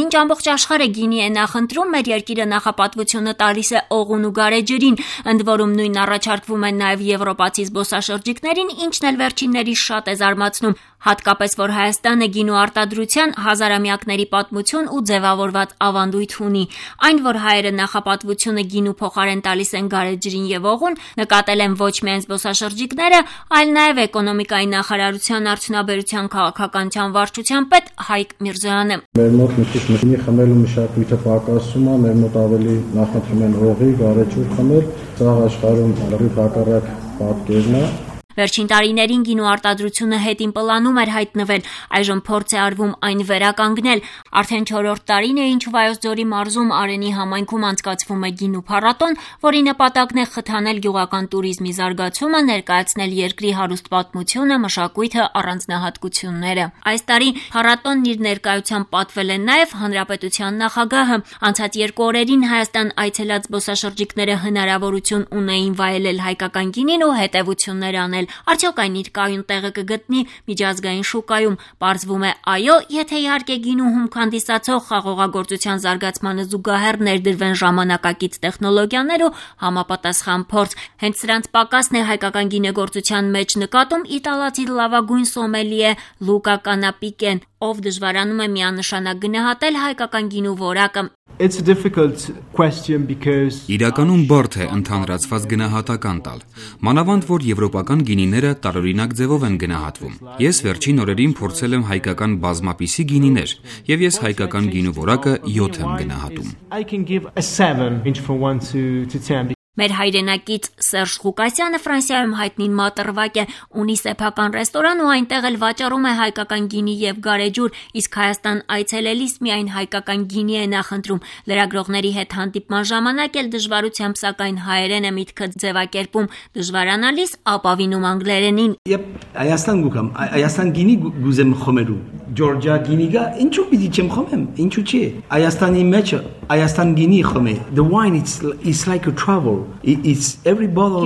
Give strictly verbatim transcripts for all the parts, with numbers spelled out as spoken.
Մինչ ամբողջ աշխարհը գինի է նախընտրում, մեր երկիրը նախապատվությունը տալիս է օղուն ու գարեջրին, ընդ որում նույնն առաջարկվում են նաև եվրոպացի զբոսաշրջիկներին, ինչն էլ վերջիններիս շատ է զարմացնում, հատկապես որ Հայաստանը գինու արտադրության հազարամյակների պատմություն ու ձևավորված ավանդույթ ունի, այն որ հայերը նախապատվությունը գինու փոխարեն տալիս են գարեջրին եւ օղուն, նկատել են ոչ միայն զբոսաշրջիկները, այլ նաև էկոնոմիկայի նախարարության արդյունաբերության քաղաքականության վարչության պետ Հայկ Միրզոյանը։ Մեր մոտ մի քիչ մշինի խմելու մշակույթը պակասում է, մեր մոտ ավելի նախընտրում են օղի, գարեջուր խմել, սա աշխարհում լրիվ հակառակ պատկերն է։ Վերջին տարիներին գինու արտադրությունը հետին պլանում էր հայտնվել, այժմ փորձ է արվում այն վերականգնել։ Արդեն չորրորդ տարին է, ինչ Վայոց ձորի մարզում Արենի համայնքում անցկացվում է գինու փառատոն, որի նպատակն է խթանել գյուղական туриզմի զարգացումը, ներկայացնել երկրի հարուստ պատմությունը, մշակույթը, առանձնահատկությունները։ Այս տարի փառատոնն իր ներկայությամբ պատվել է նաև հանրապետության նախագահը։ Անցած երկու օրերին Հայաստան այցելած զբոսաշրջիկները հնարավորություն ունեին վայելել հայկական գինին ու հետևություններ անել։ Արդյոք այն իր կայուն տեղը կգտնի միջազգային շուկայում, պարզվում է այո, եթե իհարկե գինու հումք հանդիսացող խաղողագործության զարգացմանը զուգահեռ ներդրվեն ժամանակակից տեխնոլոգիաներ ու համապատասխան փորձ։ Հենց սրանց պակասն է հայկական գինեգործության մեջ նկատում իտալացի լավագույն սոմելիե Լուկա Կանապիկեն, ով դժվարանում է միանշանակ գնահատել հայկական գինու որակը։ It's a difficult question because Իրականում բարդ է ընդհանրացված գնահատական տալ։ Մանավանդ որ եվրոպական գինիները տարօրինակ ձևով են գնահատվում։ Ես վերջին օրերին փորձել եմ հայկական բազմապիսի գինիներ, եւ ես հայկական գինու որակը յոթ եմ գնահատում։ I can give a seven inch from one to to ten. Մեր հայրենակից Սերժ Ղուկասյանը Ֆրանսիայում հայտնի մատրվակ է, ունի սեփական ռեստորան ու այնտեղ էլ վաճառում է հայկական գինի եւ գարեջուր, իսկ Հայաստան այցելելիս միայն հայկական գինի է նախընտրում։ Լրագրողների հետ հանդիպման ժամանակ էլ դժվարությամբ սակայն հայերեն է միտքը ձևակերպում, դժվարանալիս ապավինում անգլերենին։ Եվ Հայաստան գուկամ, Հայաստան գինի գուզեմ խմելու։ Ջորջիա գինիգա ինչու պիտի չեմ խմեմ, ինչու՞ չի։ Հայաստանի մեջ Հայաստան գինի խմե։ The wine it's it's like a travel. It's every bottle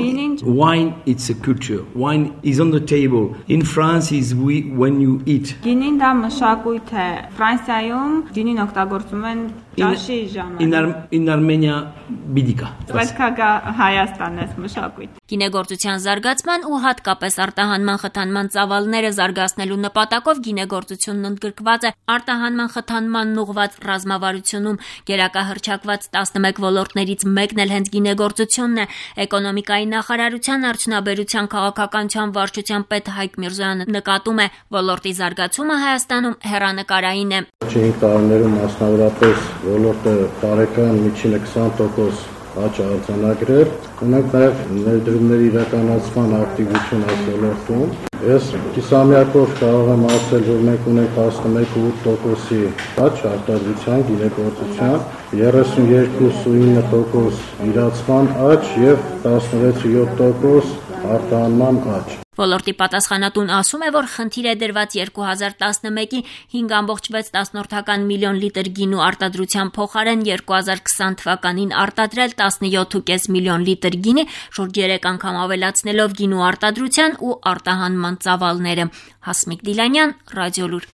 wine. It's a culture. Wine is on the table. In France, is we when you eat. Գինին դա մշակույթ է։ Ֆրանսիայում գինին օգտագործում են ճաշի ժամանակ։ In Ar in Armenia բիդիկա։ Պետքա գա Հայաստան էս մշակույթ։ Գինեգործության զարգացման ու հատկապես արտահանման խթանման ծավալները զարգացնելու նպատակով գինեգործությունն ընդգրկված է արտահանման խթանմանն ուղղված ռազմավարությունում։ Գերակահռչակված տասնմեկ ոլորտներից մեկն էլ հենց գինեգործությունն է։ Էկոնոմիկայի նախարարության արդյունաբերության քաղաքականության վարչության պետ Հայկ Միրզոյանը նկատում է, ոլորտի զարգացումը Հայաստանում հեռանկարային է։ Չինք տարիներում մասնավորապես ոլորտը տարեկան միջինը քսան տոկոս աճ արձանագրել, ունենք նաև ներդրումների իրականացման ակտիվություն այս ոլորտում։ Ես կիսամյակով կարող եմ ասել, որ մենք ունենք տասնմեկ տոկոսի աճ արտադրության, գինեգործության, երեսունյոթ ինը տոկոս իրացման աճ եւ տասնվեց յոթ տոկոս արտահանման աճ։ Ոլորտի պատասխանատուն ասում է, որ խնդիր է դրված երկու հազար տասնմեկի հինգ կόμma վեց միլիոն լիտր գինու արտադրության փոխարեն երկու հազար քսան թվականին արտադրել տասնյոթ կόμma պենս միլիոն լիտր գինի, շուրջ երեք անգամ ավելացնելով գինու արտադրության ու արտահանման ծավալները։ Հասմիկ Դիլանյան, Ռադիոլուր։